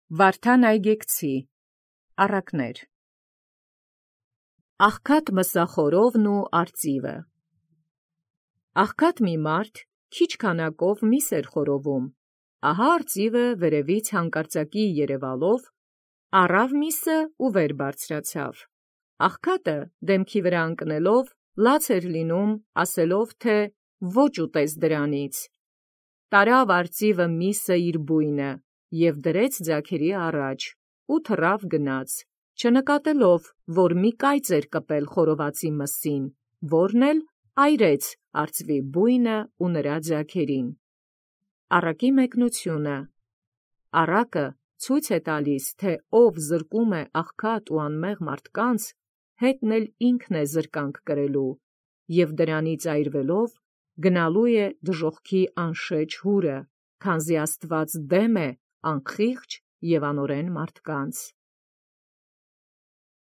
Վարդան Այգեկցի առակներ Աղքատ մսախորովն ու արծիվը Աղքատ մի մարդ քիչ քանակով միս էր խորովում, ահա արծիվը վերևից հանկարծակի երևալով առավ միսը ու վեր բարձրացավ։ Աղքատը դեմքի վրա ընկնելով լաց էր լինում, ասելով թե ոչ ուտես դրանից։ Տարավ արծիվը միսը իր բույնը և դրեց ձագերի առաջ ու թռավ գնաց, չնկատելով, որ մի կայծ էր կպել խորովածի մսին, որն էլ այրեց արծվի բույնը ու նրա ձագերին։ Առակի մեկնությունը առակը ցույց է տալիս, թե ով զրկում է աղքատ ու անմեղ մարդկանց, հետն էլ ինքն է զրկանք կրելու, և դրանից այրվելով գնալու է դժոխքի անշեջ հուրը, քանզի Աստուած դեմ է անխիղճ և անօրեն մարդկանց։